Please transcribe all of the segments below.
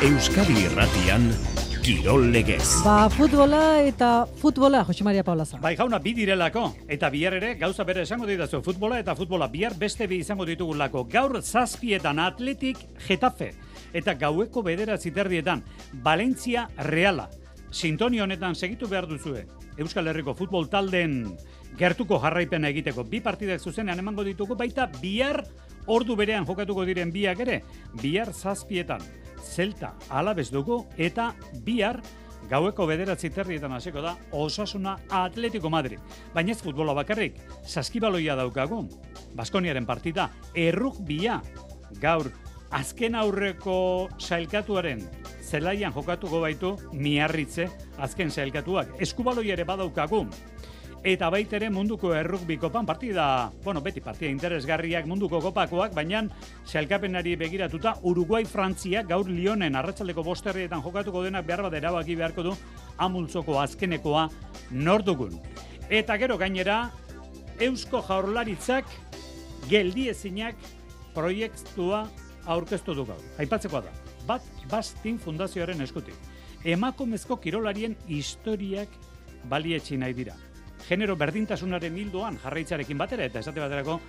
Euskadi Irratian Kirol Legez. Futbola, Jose Maria Paulaza. Bai, jauna, bi direlako, eta bihar ere, gauza bere esango ditazu, futbola eta futbola bihar beste bi izango ditugulako. Gaur 7:00 Atletik Getafe, eta gaueko 9:00 Valencia Reala. Sintonia honetan segitu behar duzue. Euskal Herriko futbol taldeen gertuko jarraipena egiteko. Bi partidak zuzenean emango ditugu, baita bihar ordu berean jokatuko diren biak ere. Bihar 7:00 Celta Alaves dugu, eta bihar gaueko 9:30 hasiko da Osasuna Atletico Madrid. Baina ez futbola bakarrik, saskibaloia daukagu. Baskoniaren partida, errugbia. Gaur, azken aurreko sailkatuaren zelaian jokatuko baitu Miarritze, azken sailkatuak. Eskubaloia ere badaukagu. Eta baita ere munduko errugbi kopan partida, beti partida interesgarriak munduko kopakoak, baina sailkapenari begiratuta Uruguai-Frantzia gaur Lyonen arratsaldeko 5:00 jokatuko denak behar bat erabaki beharko du amultzoko azkenekoa nor dugun. Eta gero gainera, Eusko Jaurlaritzak geldiezinak proiektua aurkeztu du gaur. Aipatzekoa da, bat Bastin Fundazioaren eskutik. Emakumezko kirolarien historiak balietsi nahi dira. Genero berdintasunaren hildoan jarraitzarekin batera, eta esate baterako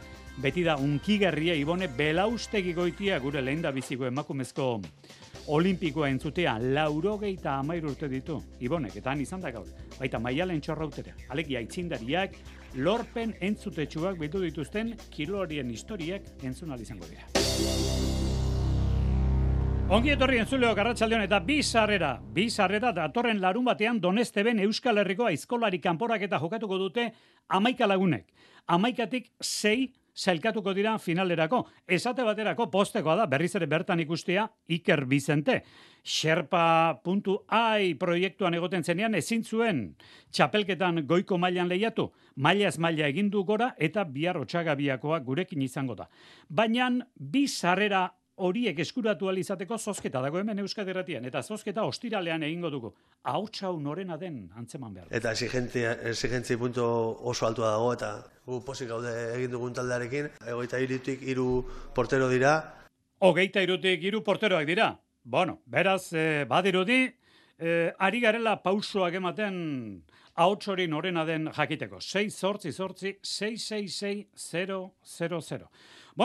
beti da unkigarria Ibone Belaustegi Goitia gure lehendabiziko emakumezko olimpikoa entzutea 93 urte ditu Ibonek, eta han izan da gaur. Baita Maialen Txorrautera, alegia aitzindariak, lorpen entzutetsuak bildu dituzten kirolarien historiak entzun ahal izango dira. Ongi etorri entzuleok arratsaldeon, eta bi sarrera datorren larun batean Donesteben Euskal Herriko aizkolari kanporaketa jokatuko dute 11 lagunek. 11tik 6 sailkatuko dira finalerako. Esate baterako postekoa da berriz ere bertan ikustea Iker Bizente. Sherpa.ai proiektuan egoten zenean ezin zuen txapelketan goiko mailan lehiatu. Mailaz maila egin du gora eta bihar Otsagabiakoa gurekin izango da. Baina bi sarrera horiek eskuratu alizateko zozketa dago hemen Euskadi Irratian, eta zozketa ostiralean egingo dugu. Hau norena den antzeman behar. Eta exigentzia punto oso altua dago, eta gu posik gaude egin dugun taldearekin. 23tik 3 portero dira. 23tik 3 porteroak dira. Beraz, badirudi, ari garela pausoak ematen ahots hori norena den jakiteko. 6-8-6-6-6-0-0-0.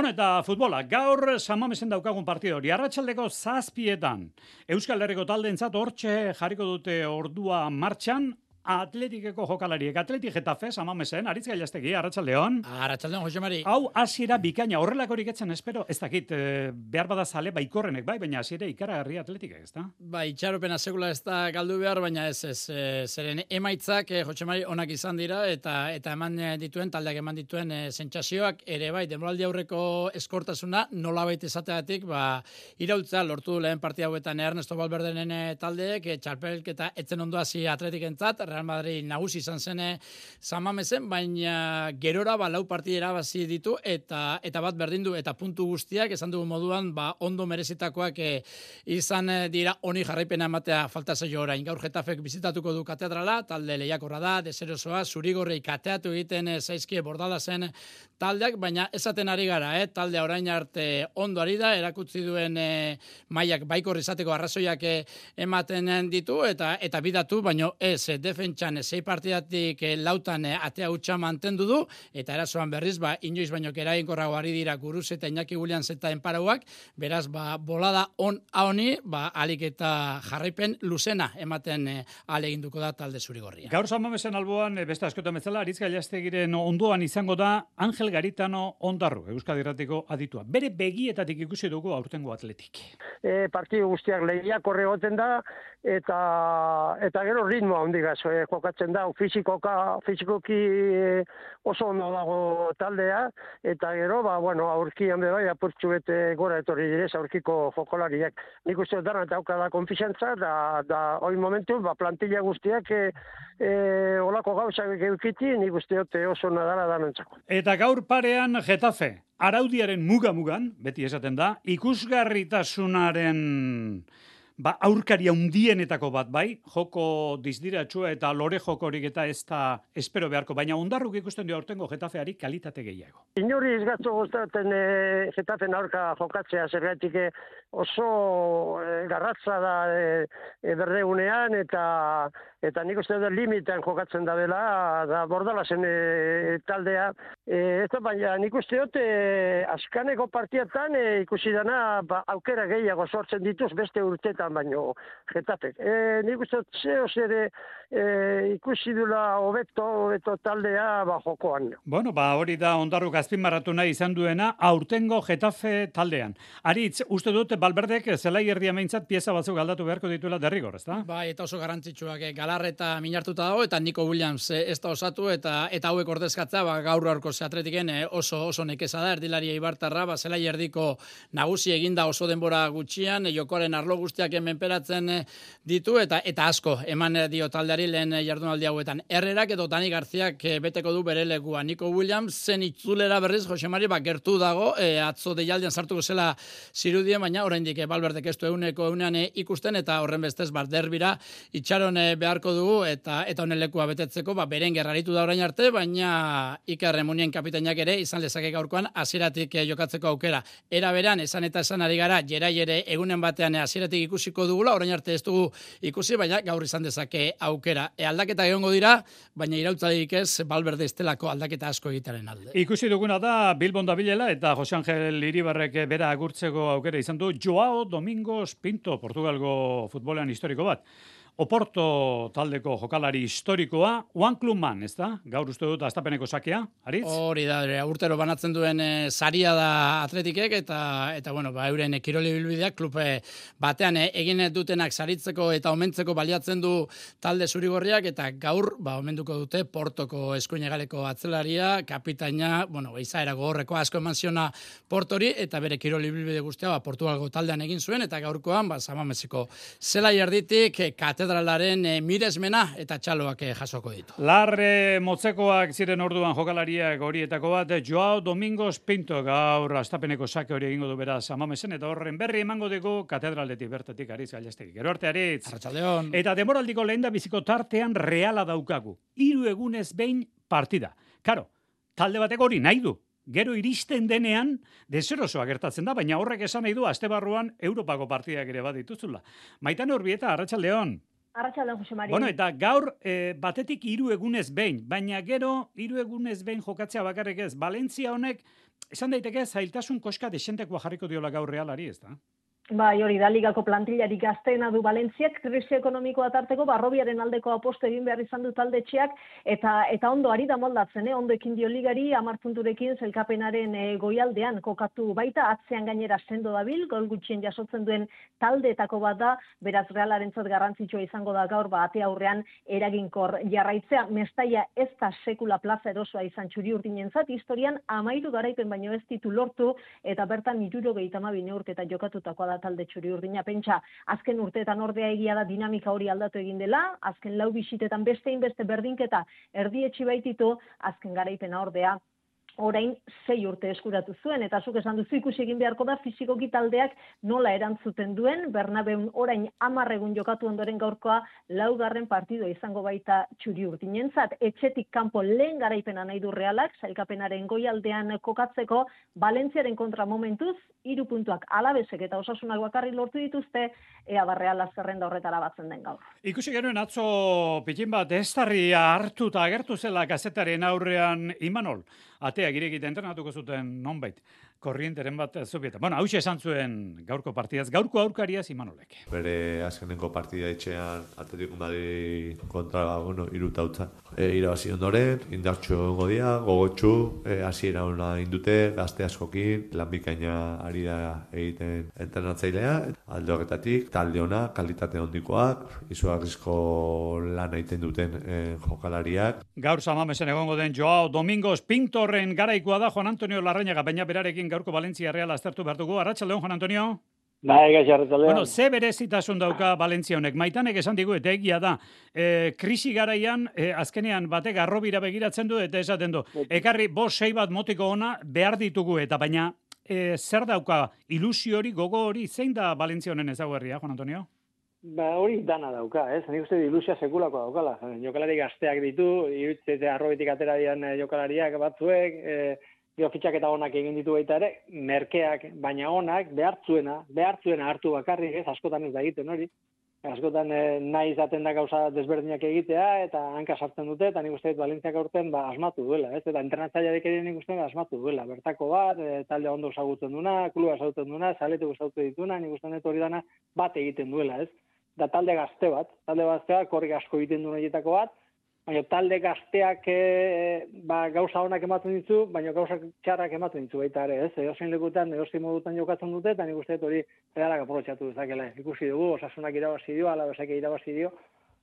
Eta futbola, gaur San Mamesen daukagun partido hori. Arratsaldeko 7:00 Euskal Herriko taldeentzat hortxe jarriko dute ordua martxan, Atletikeko jokalariek. Atletik Getafe, San Mamesen, Aritz Gailastegi, arratsaldeon. Arratsaldeon, Jose Mari. Hau hasiera bikaina, horrelakorik etzen espero, ez dakit, behar bada zale baikorrenek, baina hasiera ikaragarri Atletikek, ez da? Itxaropena sekula ez da galdu behar, baina ez, zeren emaitzak, Jose Mari, onak izan dira, eta eman dituen, taldeak eman dituen sentsazioak ere denboraldi aurreko eskortasuna, nolabait esateagatik, iraultza lortu lehen partia hauetan Ernesto Valverderen taldeek, txarpelketa etzen ondo hasi Atletikentzat, Real Madrid nagusi izan zen San Mamesen, baina gerora lau partidera bazi ditu eta bat berdindu, eta puntu guztiak esan dugu moduan ondo merezitakoak izan dira, honi jarraipena ematea falta zaio orain. Gaur Getafek bizitatuko du katedrala, talde lehiakorra da, deserosoa, zurigorrei kateatu egiten zaizkie Bordalasen taldeak, baina esaten ari gara, taldea orain arte ondo ari da, erakutsi duen mailak baikor izateko arrazoiak ematen ditu, eta bidatu, baino ez defentsan 6 partidatik lautan atea hutsa mantendu du, eta erasoan berriz, inoiz baino eraginkorrago ari dira Guruz eta Iñaki Williams eta enparauak, beraz, bolada honi, alik eta jarraipen luzena ematen aleginduko da talde zurigorria. Gaur San Mamesen alboan, beste askotan bezala, Aritz Gailastegiren ondoan izango da Angel Garitano Ondarru, Euskadi Irratiko aditua. Bere begietatik ikusi dugu aurtengo Atletik. Partidu guztiak lehiakorre egoten da, eta gero ritmoa hondigaz jokatzen da, fizikoki oso ondo dago taldea, eta gero, aurkian bebai apurtxu bete gora etorri direz aurkiko jokolariak. Nik uste dara eta aukada konfizantza, da hori momentu, plantilla guztiak olako gauzak eukiti, nik uste oso nadala danontzako. Eta gaur parean Getafe, araudiaren muga-mugan, beti esaten da, ikusgarritasunaren aurkari handienetako bat, bai, joko dizdiratsua eta lore jokorik eta ez da espero beharko, baina ondarruk ikusten dio aurtengo Getafeari kalitate gehiago. Inori ez gatzo gustatzen Getafen aurka jokatzea, zergatik oso garratza da berdegunean eta nik uste dut limitean jokatzen da dela, da Bordalasen taldea. Baina nik uste dut askaneko partietan ikusi dana aukera gehiago sortzen dituz beste urtetan baino Getafek. Nik uste dut zeo ikusi dula hobeto taldea jokoan. Bueno, hori da ondarruk azpimarratu nahi izan duena aurtengo Getafe taldean. Aritz, uste dut Valverdek zelai erdia meintzat pieza batzuk aldatu beharko dituela derrigor, ezta? Bai, eta oso garrantzitsuak Galarreta minartuta dago eta Nico Williams ez da osatu eta hauek ordezkatza gaur aurko Atletiken oso nekeza da erdilaria Ibartarra, zelai erdiko nagusi eginda oso denbora gutxian, jokoaren arlo guztiak menperatzen ditu eta asko eman dio taldeari lehen jardunaldi hauetan. Herrerak edo Dani Garziak beteko du bere lekua. Nico Williams zen itzulera berriz Jose Mari gertu dago, atzo deialdian sartuko zela zirudien, baina oraindik Valverdek ez du egunean ikusten eta horren bestez derbira itxaron beharko dugu eta honen lekua betetzeko beren gerraritu da orain arte, baina Iker Remunien kapitainak ere izan lezake gaurkoan hasieratik jokatzeko aukera. Era beran esan ari gara Gerai ere egunen batean hasieratik ikusiko dugula, orain arte ez dugu ikusi, baina gaur izan dezake aukera. Aldaketa egongo dira, baina irautzarik ez Valverde estelako aldaketa asko egitaren alde. Ikusi duguna da Bilbon dabilela eta Jose Angel Iribarrek bera agurtzeko aukera izan du Joao Domingos Pinto, Portugalgo futbolean historiko bat. Oporto taldeko jokalari historikoa, One Club Man, ez da? Gaur uste dut astapeneko sakea, Aritz? Hori da, urtero banatzen duen saria da Atletikek eta euren kiroli bilbideak klub batean egin dutenak saritzeko eta omentzeko baliatzen du talde zurigorriak eta gaur omenduko dute Portoko eskuinegaleko atzelaria, kapitaina, izaera gogorreko asko eman ziona Portori eta bere kiroli bilbide guztia Portugalgo taldean egin zuen eta gaurkoan Samameseko zelai erditik katedralaren miresmena eta txaloak jasoko ditu. Larre motzekoak ziren orduan jokalariak horietako bat, Joao Domingos Pinto gaur astapeneko sake hori egingo du beraz Samamesen eta horren berri emango dugu katedraletik bertatik Aritz Gallastegi. Gero arte Aritz. Arratsaldeon. Eta demoraldiko lehenda biziko tartean Reala daukagu. 3 egunez behin partida. Karo, talde batek hori nahi du. Gero iristen denean, deserosoa gertatzen da, baina horrek esan nahi du astebarruan Europako partidak ere bat dituzula. Maitane Urbieta, arratsaldeon. Arratsaldeon, Jose Mari. Bueno, eta gaur batetik 3 egunez behin, baina gero 3 egunez behin jokatzea bakarrik ez. Valentzia honek, esan daiteke zailtasun koska desentekoa jarriko diola gaur Realari, ez da? Bai, hori da, ligako plantillari gazteena du Valentziak, krisi ekonomikoa tarteko, Barrobiaren aldeko aposto egin behar izan du taldetxeak, eta ondo ari da moldatzen, ondo ekin dio ligari, 10 punturekin zelkapenaren goialdean kokatu baita, atzean gainera sendo dabil, gol gutxien jasotzen duen taldeetako bat da, beraz Realarentzat garrantzitsua izango da gaur, ate aurrean eraginkor jarraitzea, Mestaia ez da sekula plaza erosoa izan Txuri-Urdinentzat, historian 13 garaipen baino ez ditu lortu, eta bertan 72 neurketa jokatutakoa da talde Txuri-Urdina. Pentsa, azken urteetan ordea egia da dinamika hori aldatu egin dela, azken 4 bisitetan beste berdinketa erdietxi baititu, azken garaipena ordea orain 6 urte eskuratu zuen, eta zuk esan duzu ikusi egin beharko da fizikoki taldeak nola erantzuten duen, Bernabeun orain 10 egun jokatu ondoren gaurkoa 4. partidua izango baita Txuri-Urdinentzat, etxetik kanpo lehen garaipena nahi du Realak, sailkapenaren goialdean kokatzeko, Valentziaren kontra momentuz, 3 puntuak Alabesek eta Osasunak bakarrik lortu dituzte, ea Reala zerrenda horretara batzen den gaur. Ikusi genuen atzo pikin bat estarria hartuta agertu zela kazetaren aurrean Imanol. Ateak irekita entrenatuko zuten nonbait. Korrienteren bat zubieta. Bueno, hauxe esan zuen gaurko partidaz, gaurko aurkariaz Imanolek. Bere azkenengo partida etxean Atletico Madrid kontra, irutautza. Irabazi ondoren, indartxo egongo dira, gogotxu, hasiera ona indute, gazte askokin, lan bikaina ari da egiten entrenatzailea, alde horretatik, talde ona, kalitate hondikoak, izugarrizko lan egiten duten jokalariak. Gaur Samamesen egongo den Joao Domingos Pintorren garaikoa da Juan Antonio Larrañaga, baina berarekin gaurko Valentzia Real aztertu behar dugu. Arratsaldeon, Juan Antonio. Bai, arratsaldeon. Bueno, ze berezitasun dauka Valentzia honek. Maitanek esan digu eta egia da. Krisi garaian, azkenean batek arrobira begiratzen du eta esaten du. Ekarri 5-6 bat motiko ona behar ditugu eta baina zer dauka ilusio hori, gogo hori, zein da Valentzia honen ezaugarria, Juan Antonio? Hori dana dauka, ez? Nik uste ilusia sekulako daukala. Jokalari gazteak ditu, irutzete arrobetik atera dian jokalariak batzuek, fitxaketa onak egin ditu baita ere, merkeak, baina onak, behartzuena hartu bakarrik, ez? Askotan ez da egiten hori. Askotan nahi izaten da gauza desberdinak egitea, eta hanka sartzen dute, eta nik uste Valentziak aurten asmatu duela, ez? Eta entrenatzaileak ere nik uste asmatu duela. Bertako bat, talde ondo ezagutzen duena, kluba ezagutzen duena, zaletu ezagutzen dituna, nik uste hori dana bat egiten duela, ez? Da talde gazteak, korrik asko egiten duen horietako bat, baina talde gazteak gauza onak ematen ditu, baina gauza txarrak ematen ditu baita ere, ez? Edozein lekutan, edozein modutan jokatzen dute, eta nik uste hori Realak aprobetxatu dezakela. Ikusi dugu, Osasunak irabazi dio, Alavesek irabazi dio,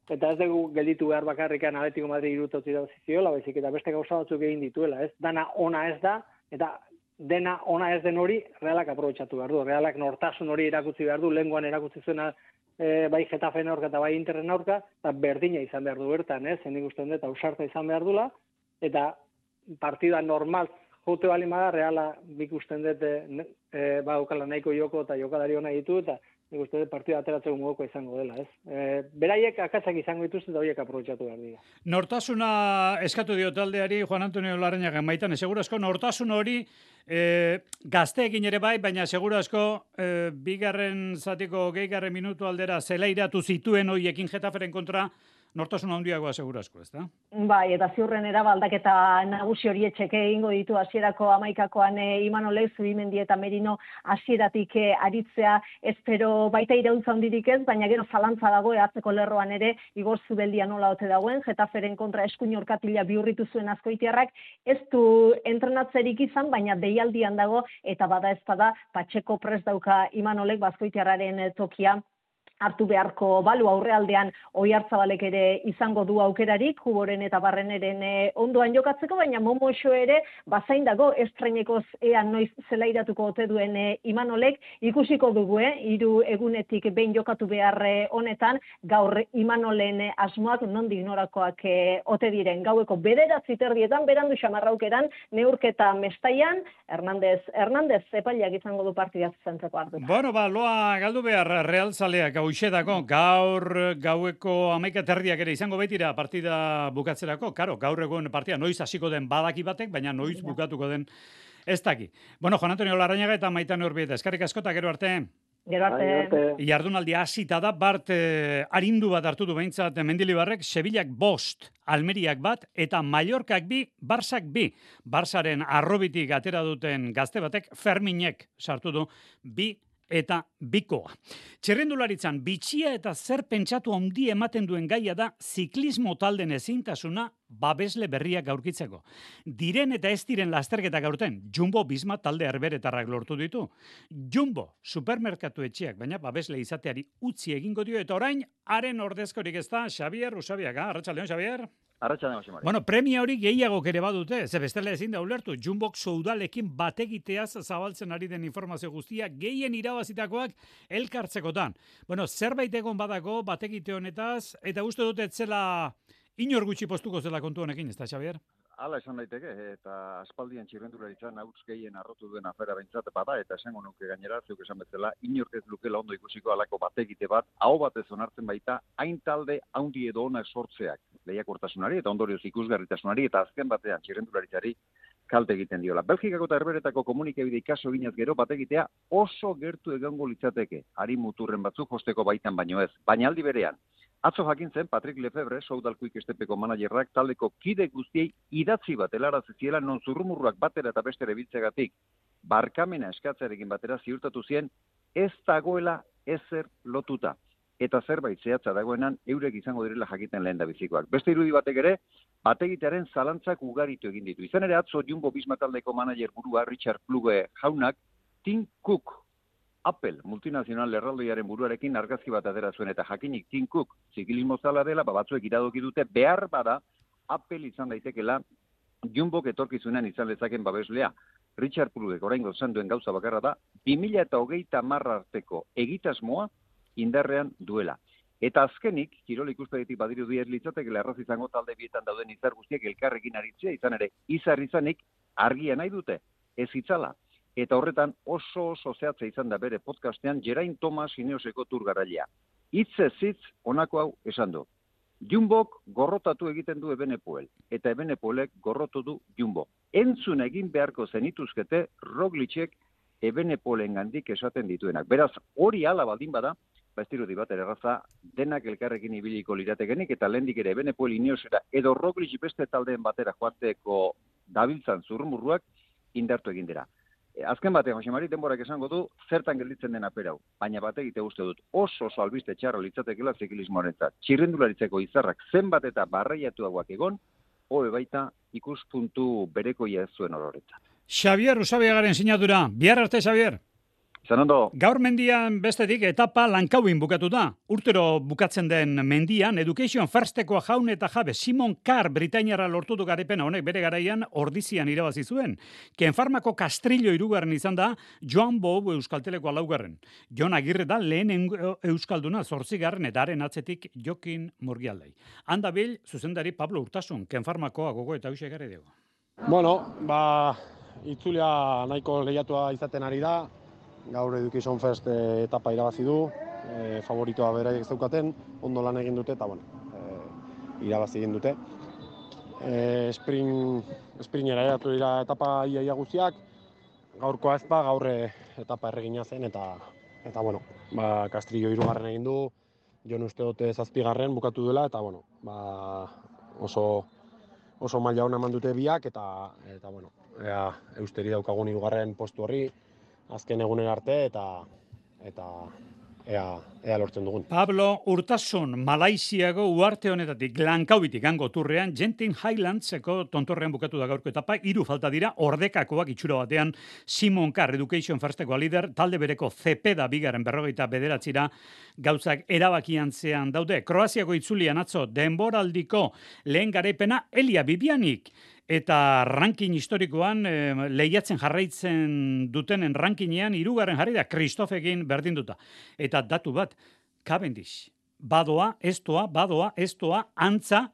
eta ez dugu gelditu behar bakarrikan Atletico Madrid irutot irabazi ziola, baizik eta beste gauza batzuk egin dituela, ez? Dana ona ez da, eta dena ona ez den hori Realak aprobetxatu behar du. Realak nortasun hori erakutsi behar du, lehengoan erakutsi zuena bai Getafen aurka eta bai Interren aurka, eta berdina izan behar du bertan, nik uste dut, ausarta izan behar dula, eta partida normal jote bali bada, Reala ikusten dut ukala nahiko joko eta jokalari hona ditu, eta nik uste dut partida ateratzeko moduko izango dela, ez? Beraiek akatsak izango dituzte eta horiek aprobetxatu behar dira. Nortasuna eskatu dio taldeari Juan Antonio Larrañaga maitan, seguro asko nortasun hori gazteekin ere bai, baina seguro asko bigarren zatiko gehigarren minutu aldera zelairatu zituen hoiekin Getaferen kontra nortasun handiagoa seguro asko, ez da? Bai, eta ziurren aldaketa nagusi hori etxeke egingo ditu hasierako 11koan Imanolek, Zubimendi eta Merino hasieratik aritzea, espero baita iraultza handirik ez, baina gero zalantza dago hartzeko lerroan ere Igor Zubeldia nola ote dagoen, Getaferen kontra eskuin orkatila bihurritu zuen Azkoitiarrak, ez du entrenatzerik izan, baina deialdian dago, eta bada ez bada, Patxeko prest dauka Imanolek Azkoitiarraren tokia hartu beharko balu aurrealdean Oiartzabalek ere izango du aukerarik, Juboren eta Barreneren ondoan jokatzeko, baina Momoxo ere bazain dago estreinekoz ea noiz zelairatuko ote duen Imanolek, ikusiko dugu, 3 egunetik behin jokatu behar honetan, gaur Imanolen asmoak nondik norakoak ote diren. Gaueko 9:00 berandu xamarraukeran, neurketa Mestaian, Hernandez epaileak izango du partida zuzentzeko hartu. Bueno, loa galdu behar Realzaleak hoxedako, gaur gaueko 11:30 ere izango baitira partida bukatzerako, gaur egun partida noiz hasiko den badaki batek, baina noiz bukatuko den ez daki. Bueno, Juan Antonio Larrañaga eta Maitane Urbieta, eskerrik asko eta gero arte. Gero arte. Jardunaldia hasita da, Bart arindu bat hartu du behintzat Mendilibarrek, Sevillak 5, Almeriak 1 eta Mallorcak 2, Barsak 2. Barsaren arrobitik atera duten gazte batek, Ferminek sartu du 2 eta 2koa. Txirrendularitzan, bitxia eta zer pentsatu handi ematen duen gaia da ziklismo talden ezintasuna babesle berriak aurkitzeko. Diren eta ez diren lasterketak aurten, Jumbo Visma talde herberetarrak lortu ditu. Jumbo, supermerkatu etxeak, baina babesle izateari utzi egingo dio, eta orain, haren ordezkorik ez da, Xabier Usabiaga. Arratsaldeon, Xabier? Arratsaldeon, Jose Mari. Bueno, premia hori gehiagok ere badute, ze bestela ezin da ulertu. Jumbok soudalekin bategiteaz zabaltzen ari den informazio guztia, gehien irabazitakoak elkartzekotan. Bueno, zerbait egon badako bategite honetaz, eta uste dut etzela inor gutxi postuko zela kontu honekin, ez da, Xabier? Hala esan daiteke, eta aspaldian txirrendularitzan hauts gehien arrotu duen afera bentsat bada, eta esango nuke gainera, zuk esan bezala, inork ez lukela ondo ikusiko alako bategite bat, hau batez onartzen baita, hain talde haundi edo onak sortzeak lehiakortasunari, eta ondorioz ikusgarritasunari, eta azken batean txirrendularitzari kalte egiten diola. Belgikako eta herberetako komunikabide ikaso ginez gero bategitea oso gertu egongo litzateke, hari muturren batzuk josteko baitan baino ez, baina aldi berean. Atzo jakintzen, Patrick Lefebvre, Soudalkuik estepeko managerrak, taldeko kide guztiei idatzi bat helarazi ziela non zurrumurruak batera eta bestere biltzegatik barkamena eskatzearekin batera ziurtatu zien ez dagoela ezer lotuta. Eta zerbait zehatza dagoenan eurek izango direla jakiten lehen da bizikoak. Beste irudi batek ere, bategitearen zalantzak ugaritu egin ditu. Izan ere atzo Jumbo Visma taldeko manager burua Richard Plugge jaunak, Tim Cook, Apple multinazional erraldoiaren buruarekin argazki bat atera zuen, eta jakinik Tim Cook ziklismo zala dela, batzuek iradoki dute, behar bada Apple izan daitekela Jumbok etorkizunean izan lezaken babeslea. Richard Plugge oraingo esan duen gauza bakarra da, 2030 arteko egitasmoa indarrean duela. Eta azkenik, kirol ikuspegitik badirudi ez litzatekela erraz izango talde bietan dauden izar guztiak elkarrekin aritzea, izan ere, izar izanik argia nahi dute, ez itzala. Eta horretan oso zehatza izan da bere podcastean Geraint Thomas Ineoseko turgarailea. hitzez hitz honako hau esan du. Jumbok gorrotatu egiten du Ebenepoel, eta Ebenepoelek gorrotu du Jumbo. Entzun egin beharko zenituzkete Roglicek Ebenepoelengandik esaten dituenak. Beraz, hori hala baldin bada, ez dirudi bat erraza, denak elkarrekin ibiliko liratekenik, eta lehendik ere Ebenepoel Ineosera edo Roglic beste taldeen batera joateko dabiltzan zurrumurruak indartu egin dira. Azken batean, Jose Mari, denborak esango du, zertan gelditzen den aperau. Baina bategite uste dut, oso albiste txarra litzatekela ziklismoarentzat. Txirrendularitzeko izarrak zenbat eta barreiatuagoak egon, hobe baita ikuspuntu berekoia ez zuen ororetzat. Xavier Usabiagaren sinadura. Bihar arte, Xavier. Izan ondo. Gaur mendian bestetik etapa Lankauin bukatu da. Urtero bukatzen den mendian, Education Firstekoa jaun eta jabe Simon Carr Britainiarra lortu du garipena honek bere garaian Ordizian irabazi zuen. Kenfarmako Kastrillo 3. izan da, Joan Bob Euskaltelekoa 4. Jon Agirre da lehen Euskalduna 8. eta haren atzetik Jokin Murgialdei. Handabil, zuzendari Pablo Urtasun, Kenfarmakoa gogo eta hauxe egarri dugu. Bueno, itzulia nahiko lehiatua izaten ari da. Gaur Education First etapa irabazi du, favoritoa beraiek zeukaten, ondo lan egin dute eta irabazi egin dute. Springera eratu dira etapa ia guztiak, gaurkoa ez gaur etapa erregina zen eta Kastrillo 3. egin du, Jon uste dute 7. bukatu duela eta oso maila ona eman dute biak eta eusteri daukagun 3. postu horri, azken egunen arte eta ea lortzen dugun. Pablo Urtasun, Malaisiago uarte honetatik Lankaubitik hango turrean, Genting Highlandseko tontorrean bukatu da gaurko etapa, 3 falta dira, ordekakoak itxura batean, Simon Carr Education Firsteko lider, talde bereko Zepeda 2. gauzak erabakantzean daude. Kroaziako itzulian atzo denboraldiko lehen garaipena Elia Bibianik, eta ranking historikoan lehiatzen jarraitzen dutenen rankingean 3. jarri da Kristofekin berdinduta. Eta datu bat, Cavendish, badoa, estoa, antza,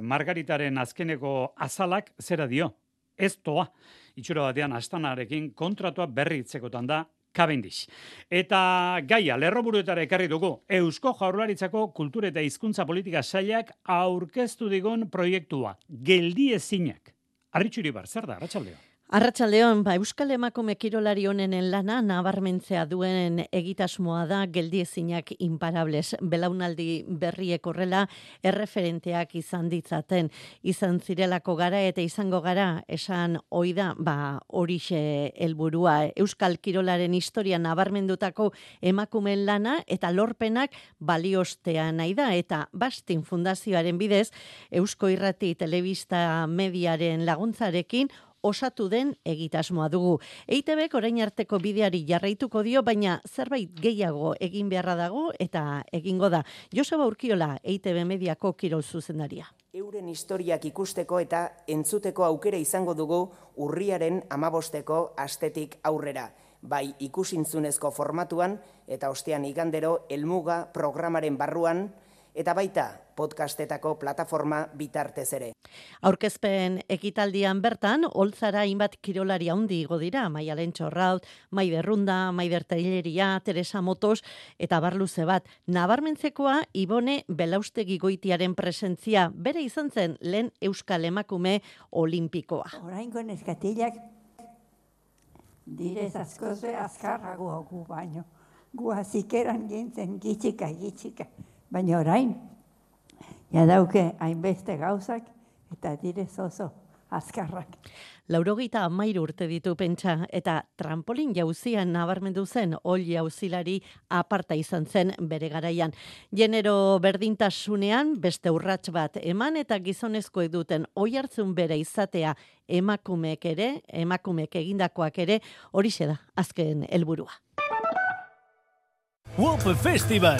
Margaritaren azkeneko azalak zera dio. Estoa, itxura batean Astanarekin kontratua berritzekotan da Cavendish. Eta gaia, lerroburuetara ekarri dugu, Eusko Jaurlaritzako Kultura eta Hizkuntza Politika Sailak aurkeztu digun proiektua, Geldiezinak. Arritxuribar, zer da, Arratsaldeon? Arratsaldeon, Euskal Emakume kirolari honenen lana nabarmentzea duen egitasmoa da Geldiezinak imparables. Belaunaldi berriek horrela erreferenteak izan ditzaten. Izan zirelako gara eta izango gara esan oida, horixe helburua. Euskal kirolaren historia nabarmendutako emakumeen lana eta lorpenak baliostea nahi da. Eta Bastin Fundazioaren bidez, Eusko Irrati Telebista Mediaren laguntzarekin osatu den egitasmoa dugu. EITBek orain arteko bideari jarraituko dio, baina zerbait gehiago egin beharra dago eta egingo da. Joseba Urkiola, EITB Mediako kirol zuzendaria. Euren historiak ikusteko eta entzuteko aukera izango dugu urriaren 15 astetik aurrera. Bai ikusintzunezko formatuan eta ostean igandero Helmuga programaren barruan, eta baita podcastetako plataforma bitartez ere. Aurkezpen ekitaldian bertan, Oltzara hainbat kirolari handi igo dira, Maialen Txorraut, Maider Runda, Maider Taileria, Teresa Motos, eta barluze bat. Nabarmentzekoa, Ibone Belaustegi Goitiaren presentzia, bere izan zen lehen Euskal Emakume Olimpikoa. Oraingo neskatilak direz askoze azkarrago gu baino. Gu azikeran gintzen gitxika. Baina orain, dauke hainbeste gauzak eta direz oso azkarrak. 93 urte ditu pentsa eta trampolin jauzian nabarmendu zen ol jauzilari aparta izan zen bere garaian. Genero berdintasunean beste urrats bat eman eta gizonezkoek duten oihartzun bere izatea emakumeek egindakoak ere horixe da azken helburua. WOP Festival,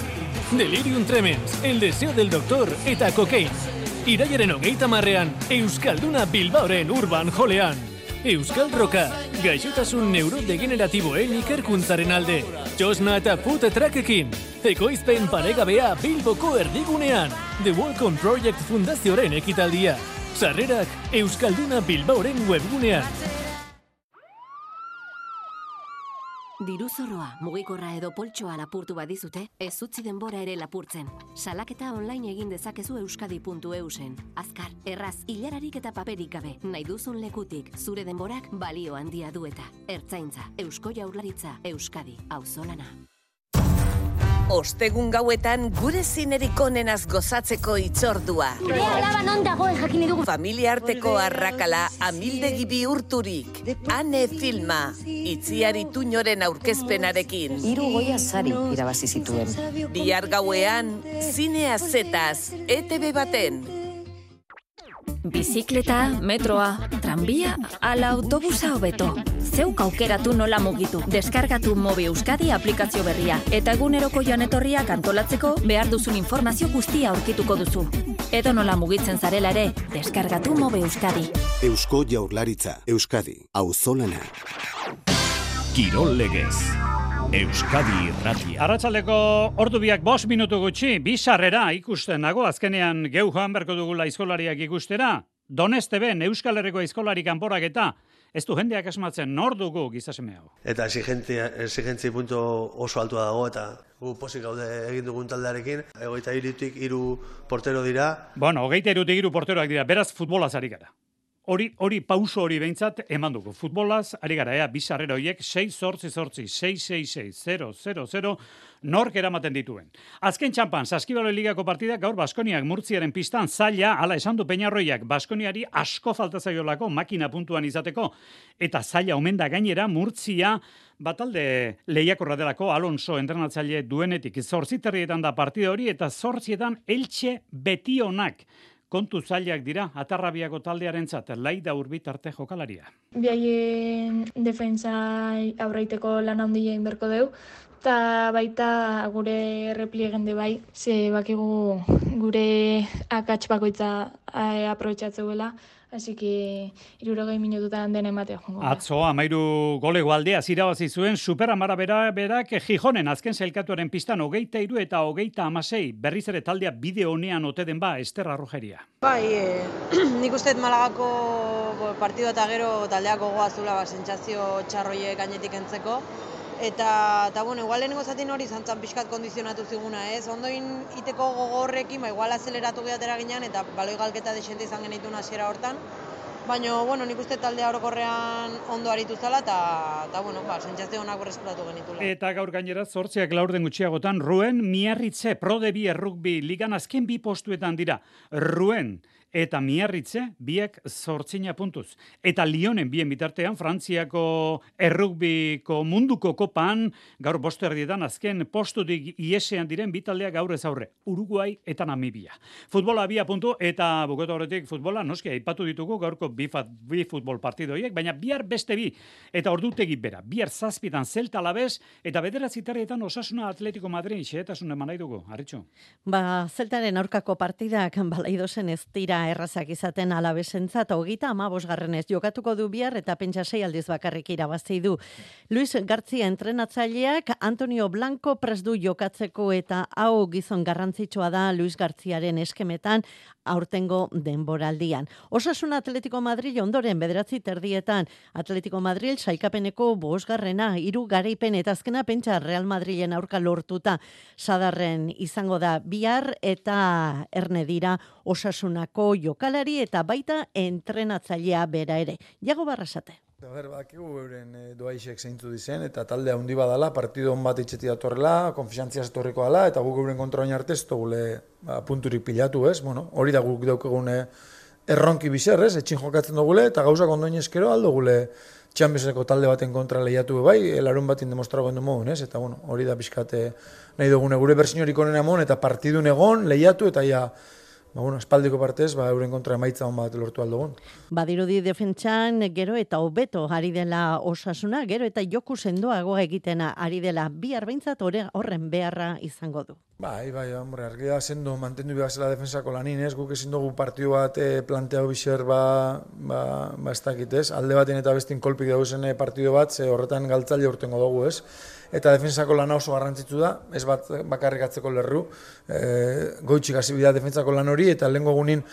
Delirium Tremens, El Deseo del Doctor eta Cocaine. Irailaren 30ean, Euskalduna Bilbaoren Urban Jolean. Euskal Roka, gaixotasun neurodegeneratiboen ikerkuntzaren alde. Txosna eta food truckekin. Ekoizpen paregabea Bilboko erdigunean. The Welcome Project Fundazioaren ekitaldia. Sarrerak Euskalduna Bilbaoren webgunean. Diruzorroa, mugikorra edo poltsoa lapurtu badizute, ez utzi denbora ere lapurtzen. Salaketa online egin dezakezu euskadi.eusen. Azkar, erraz, hilararik eta paperik gabe, nahi duzun lekutik, zure denborak balio handia du eta. Ertzaintza, Eusko Jaurlaritza, Euskadi, auzolana. Ostegun gauetan gure zinerik onenaz gozatzeko itzordua. Gure alaba non dagoen jakine dugu. Familia arteko arrakala amildegi bihurturik. Ane filma, Itziar Ituñoren aurkezpenarekin. 3 Goya sari irabazi zituen. Bihar gauean, zinea zetaz, ETV baten. Bizikleta, metroa, tranbia, ala autobusa hobeto. Zeuk aukeratu nola mugitu. Deskargatu Mobi Euskadi aplikazio berria. Eta eguneroko joan etorriak antolatzeko behar duzun informazio guztia aurkituko duzu. Edo nola mugitzen zarela ere, deskargatu Mobi Euskadi. Eusko Jaurlaritza, Euskadi, auzolana. Kirol legez. Euskadi Irratia. Arratsaldeko ordu biak 5 minutu gutxi, bi sarrera ikusten nago, azkenean geu joan berko dugula aizkolariak ikustera. Donesteben Euskal Herriko aizkolari kanporaketa. Ez du jendeak asmatzen, nor dugu gizaseme hau. Eta exigentzia punto oso altua dago, eta gu pozik gaude egin dugun taldearekin. 23tik 3 portero dira. Bueno, 23tik 3 porteroak dira, beraz futbolaz ari gara. Hori pauso hori behintzat eman dugu. Futbolaz ari gara, bizarrera horiek 6-8-6-6-6-0-0-0 nork eramaten dituen. Azken txampan, Saskibalo Ligako partidak gaur Baskoniak Murtziaren pistan zaila, ala esan du Peñarroiak, Baskoniari asko falta zaiolako makina puntuan izateko, eta zaila omen da gainera Murtzia batalde lehiakorra delako Alonso entrenatzaile duenetik. 8 da partida hori eta 8 Elche Betionak. Kontu zailak dira, Atarrabiako taldearentzat, Laida Urbit arte jokalaria. Biaien defensa aurreiteko lan handia inberko deu, eta baita gure repliegen de bai, ze bakigu gure akats bakoitza aprobetxatzeuela, así que 60 minututan den ematea jongo. Atzo, 13 golego aldea zirabazi zuen Superamara berak Gijonen azken sailkatuaren pistan 23 eta 36 berriz ere taldea bide honean ote den ba Ester Arrojeria. Bai, nik uste Malagako partido eta gero taldeak gogoa zula sentsazio txarroiek gainetik entzeko. Eta bueno, igual lehenengo zatin hori zantzan pixkat kondizionatu ziguna, ez? Ondoin iteko gogorrekin, igual azeleratu gehatera ginean, eta baloi galketa desente izan genituen hasiera hortan. Baina, bueno, nik uste taldea orokorrean ondo aritu zala, eta bueno, sentsazio onak berreskuratu genitula. Eta gaur gainera, 8 laurden gutxiagotan, Ruen Miarritze Pro de Bi Errugbi ligan azken 2 postuetan dira. Ruen eta Miarritze biek 8 puntuz. Eta Lyonen bien bitartean, Frantziako errugbiko munduko kopan, gaur 5 azken postutik iesean diren bitaldeak gaur ez aurre. Uruguai eta Namibia. Futbola 2 puntu eta bukatu horretik futbola, noski, aipatu ditugu gaurko bi futbol partidoiek, baina bihar beste bi. Eta ordutegi bera, bihar 7 Celta Alavés eta 9 Osasuna Atletico Madrid, xehetasun eman nahi dugu, Arritxu. Zeltaren aurkako partidak balaidozen ez dira errazak izaten Alavesentzat, 35. jokatuko du bihar eta pentsa 6 aldiz bakarrik irabazi du. Luis Gartzia entrenatzaileak Antonio Blanco prest du jokatzeko eta hau gizon garrantzitsua da Luis Gartziaren eskemetan aurtengo denboraldian. Osasuna Atletico Madrid ondoren 9:30 Atletico Madrid sailkapeneko 5. 3 garaipen eta azkena pentsa Real Madrilen aurka lortuta sadarren izango da bihar eta erne dira Osasunako jokalari eta baita entrenatzailea bera ere. Jago Barrasate. Bakigu euren doaixek zeintu dizen, eta talde handi badala, partido on bat itxeti datorrela, konfiantziaz etorriko dela, eta guk euren kontra oin arte ez dugule punturik pilatu, ez? Bueno, hori da guk daukegun erronki bizer, ez? Etxin jokatzen dugule, eta gauzak ondoin eskero aldo gule Championseko talde baten kontra lehiatu bai, larun batin demostrago endo mogun, ez? Eta bueno, hori da pixkate nahi dugune gure bersiñorik onena mon, eta partidun egon, lehiatu, eta ja espaldiko partez, euren kontra emaitza hon bat lortu aldogun. Badirudi defentsan gero eta hobeto ari dela Osasuna, gero eta joku sendoagoa egiten ari dela bihar behintzat horren beharra izango du. Bai, hombre, argia sendo mantendu behazela defensako lanin, ez? Guk ezin dugu partidu bat planteau biser ez dakit, ez? Alde baten eta bestin kolpik dauzen partidu bat, ze horretan galtzaile urtengo dugu, ez? Eta defensako lana oso garrantzitsu da, ez bat bakarrik atzeko lerru, goitxik hasi bida defensako lan hori, eta lehenko egunin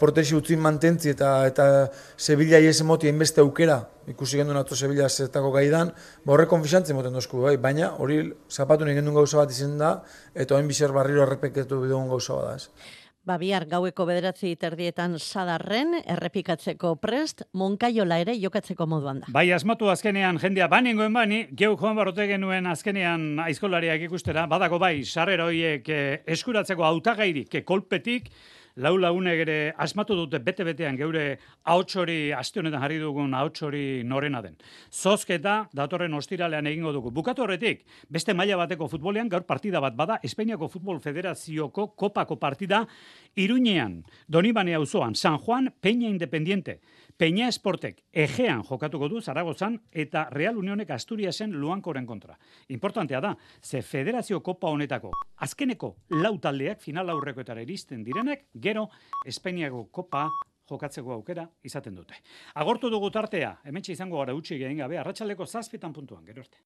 portexi utzin mantentzi eta Sevilla ies emoti hainbeste aukera, ikusi gendun atzo Sevilla zetako gaidan, horre konfixantzen moten dozku, baina hori zapatun egendun gauza bat izen da, eta hain biser barriro errepeketu bidegun gauza bat da, ez? Bihar gaueko 9:30 Sadarren errepikatzeko prest, Monkaiola ere jokatzeko moduan da. Bai, asmatu azkenean jendea banengoen bani, geu joan barote genuen azkenean aizkolariak ikustera, badago bai, sarrera horiek eskuratzeko hautagairik kolpetik, lau lagunek ere asmatu dute bete-betean geure ahots hori, aste honetan jarri dugun ahots hori norena den. Zozketa datorren ostiralean egingo dugu. Bukatu horretik, beste maila bateko futbolean gaur partida bat bada, Espainiako Futbol Federazioko kopako partida Iruñean, Donibane auzoan, San Juan, Peña Independiente, Peña Esportek Egean jokatuko du Zaragozan eta Real Unionek Asturiasen Luankoren kontra. Importantea da, ze Federazio Kopa honetako azkeneko lau taldeak final aurrekoetara iristen direnek, gero Espainiako Kopa jokatzeko aukera izaten dute. Agortu dugu tartea, hementxe izango gara utzi egin gabe, arratsaldeko 7 puntuan, gero arte.